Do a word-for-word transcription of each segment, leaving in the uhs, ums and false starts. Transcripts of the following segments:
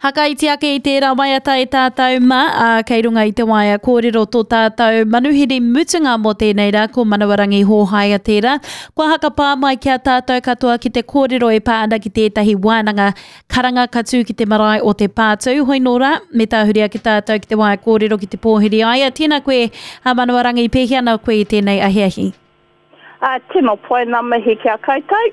Hakaiti ake i tērā waiata e tātou mā, ā, kei runga i te waea kōrero tō tātou manuhiri mutunga mō tēnei rā, ko Manawarangi Hōhaia tērā. Kua hakapā mai ki a tātou katoa ki te kōrero e pā ana ki tētahi wānanga karanga ka tū ki te marae o Te Pātū. Hoi nō rā, me tāhuri ake tātou ki te waea kōrero ki te pōhiri aia. Tēnā koe, a Manawarangi, pēhea ana koe i tēnei ahiahi? Uh, tino pai ngā mihi ki a koutou.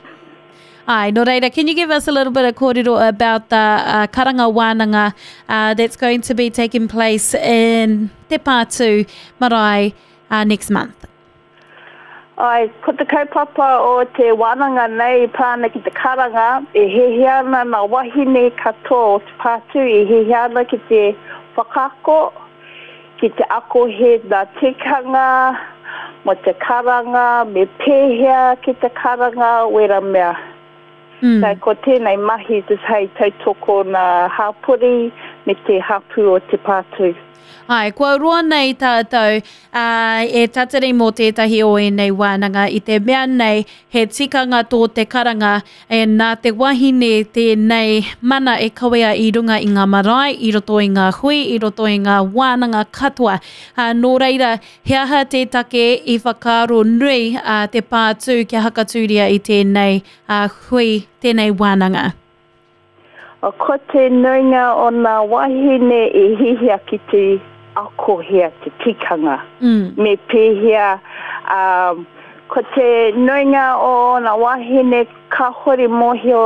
Ai, nō reira, can you give us a little bit of kōrero about the uh, karanga wānanga uh, that's going to be taking place in Te Pātū Marae uh, next month? Ai, ko te kaupapa o te wānanga nei pā ana ki te karanga, e hiahia ana ngā wahine katoa o Te Pātū, e hiahia ana ki te whakaako, ki te ako he ngā tikanga, mo te karanga, me pēhea ki te karanga, wera mea. Mm. So, ko tēnei mahi just hei tautoko nā hāpori me te hapū o Te Pātū. Ai, kua roa nei tātou uh, e tatari mō tētahi o ēnei wānanga i te mea nei he tikanga tō te karanga e nā te wahine tēnei mana e kawea i runga i ngā marae, i roto i ngā hui, i roto i ngā wānanga katoa. Uh, nō reira, he aha te take i whakaaro nui uh, Te Pātū kia hakatūria i tēnei uh, hui, tēnei wānanga? O ko te nuinga o ngā wahine i hihia ki te akohia te tikanga. Mm. Me pēhea, um, ko te nuinga o ngā wahine kāhore mōhio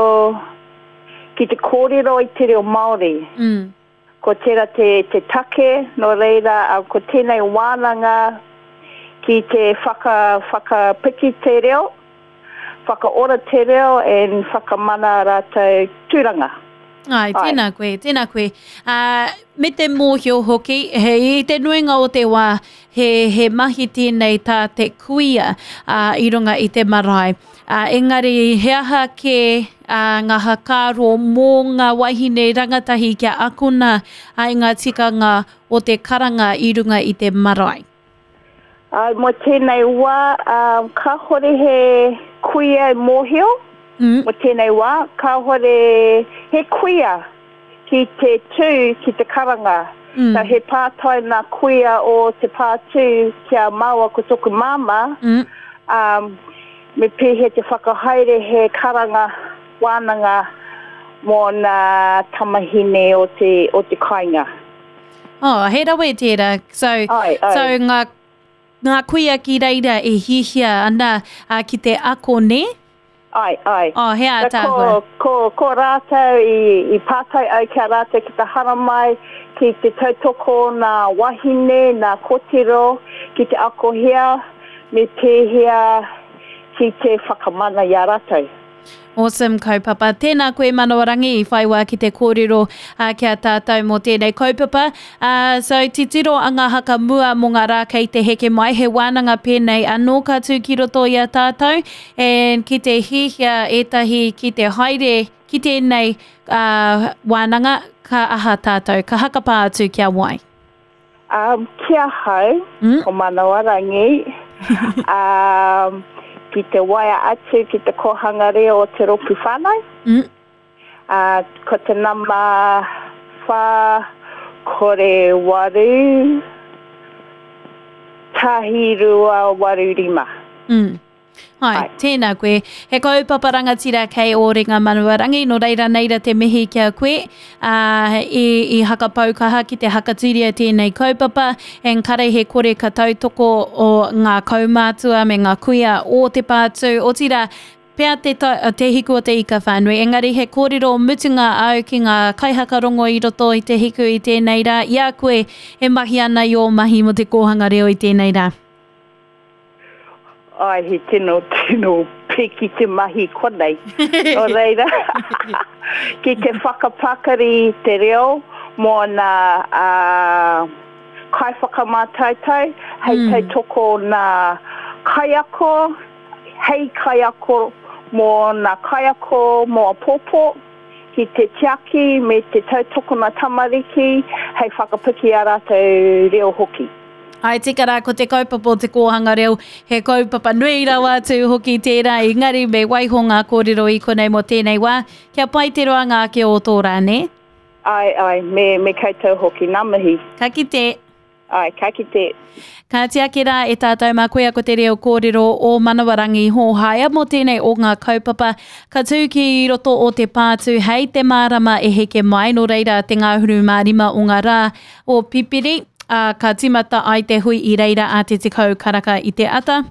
ki te kōrero i te reo Māori. Mm. Ko tērā te, te take, nō reira, um, ko tēnei wānanga ki te whaka, whakapiki te reo, whakaora te reo and whakamana rātou tūranga. Ai, Ai. tēnā koe, tēnā koe. Uh, me te mōhio hoki, he, i te nuinga o te wā, he, he mahi tēnei tā te kuia uh, i runga i te marae. Uh, engari, he aha ke uh, ngā hakaaro mō ngā wahine rangatahi kia akona uh, i ngā tikanga o te karanga i runga i te marae? Ai, mō tēnei wā, um, kāhore he kuia e mōhio, Mm. mō tēnei wā, kāhore he kuia ki te tū ki te karanga. Mm. So he pātai nā kuia o Te Pātū kia māua ko toku māmā, Mm. um, me pēhea te whakahaere he karanga wānanga mō ngā tamahine o te, o te kāinga. Oh, he rawe tērā. So, Ai, ai. so ngā, ngā kuia ki reira e hihia ana uh, ki te ako, ne? Ai, ai. Oh, he So, ātaahua. ko, ko, ko rātou i, i pātai au kia rātou ki te haramai, ki te tautoko nā wahine, nā kotiro, ki te akohia, me pēhea ki te whakamana i a rātou. Awesome kaupapa. Tēnā koe Manawarangi i whai wā ki te kōrero uh, ki a tātou mō tēnei kaupapa. Uh, so titiro a ngā haka mua mō ngā rā kei te heke mai, he wānanga pēnei anō ka tū ki roto i a tātou and ki te hihia ētahi ki te haere ki tēnei uh, wānanga, ka aha tātou, ka hakapā atu ki a wai. Um, ki ahau, Mm. ko Manawarangi, um, ki te waea atu ki te kōhanga reo o te rōpū whānau. Mm. Uh, ko te nama whā kore waru, tahi rua waru rima. Mm. Hai, Ai. tēnā koe. He kaupapa rangatira kei o Ringa Manawarangi, nō reira neira te mihi ki a koe. Uh, i, i hakapau kaha ki te hakatūria tēnei kaupapa, en kare he kore ka tautoko o ngā kaumātua me ngā kuia o Te Pātū. Otirā, pea te, ta, te hiku o te ika whānui, engari he kōrero mutunga au ki ngā kaihakarongo i roto i te hiku i tēnei rā. I a koe e mahi ana i ō mahi mō te kōhanga reo i tēnei rā. Ai, he tino, tino piki te mahi konei. Nō reira, ki te whakapakari te reo mō nā uh, kaiwhakamātautau, hei Mm. tautoko nā kaiako, hei kaiako mō nā kaiako mō apōpō, ki te tiaki me te tautoko nā tamariki, hei whakapiki a rātou reo hoki. Ai tika rā, ko te kaupapa o te kōhanga reo, he kaupapa nui rawa atu hoki tērā, engari me waiho ngā kōrero i konei mō tēnei wā, kia pai te roanga ake o tō rā, ne? Ai, ai, me, me koutou hoki, ngā mihi. Ka kite. Ai, ka kite. Ka tiaki rā e tātou mā koia ko te reo kōrero o Manawarangi Hōhaia mō tēnei o ngā kaupapa ka tū ki roto o te pātū hei te mārama e heke mai, nō reira te ngāhuru mā rima o ngā rā o Pipiri, ā, ka tīmata ai te hui i reira a te tekau karaka i te ata.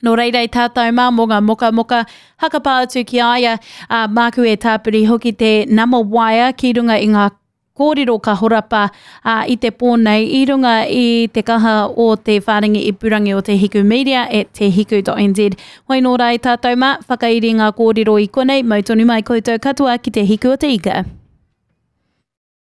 Nō reira i tātou mā mō ngā mokamoka hakapā atu ki a ia, ā, māku e tāpiri hoki te nama waea ki runga i ngā kōrero ka horapa ā, i te pō nei i runga i te kaha o te whārangi ipurangi o Te Hiku Media at te hiku dot nz. Hoi nō rā i tātou mā, whakairi ngā kōrero i konei, mau tonu mai koutou katoa ki Te Hiku o te Ika.